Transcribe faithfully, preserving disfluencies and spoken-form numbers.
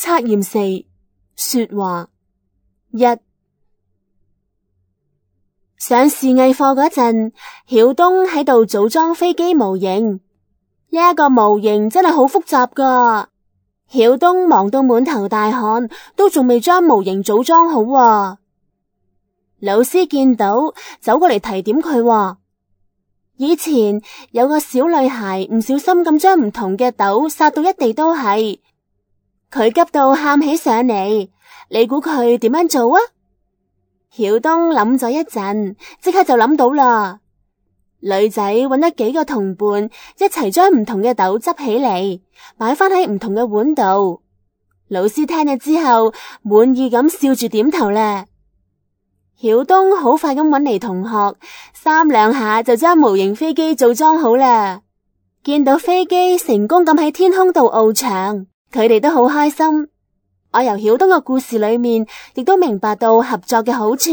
測驗四，說話。一，上視藝課嗰陣，曉東喺度組裝飛機模型。呢一個模型真係好複雜噶，曉東忙到滿頭大汗，都仲未將模型組裝好啊。老師見到，走過嚟提點佢話：以前有個小女孩唔小心咁將唔同嘅豆撒到一地都係，佢急到喊起上嚟，你估佢點樣做啊？曉東諗咗一陣，即刻就諗到啦。女仔揾咗幾個同伴，一齊將唔同嘅豆執起嚟，擺翻喺唔同嘅碗度。老師聽咗之後，滿意咁笑住點頭咧。曉東好快咁揾嚟同學，三兩下就將模型飛機組裝好啦。見到飛機成功咁喺天空度翱翔，佢哋都好開心。我由曉東嘅故事裏面，亦都明白到合作嘅好處。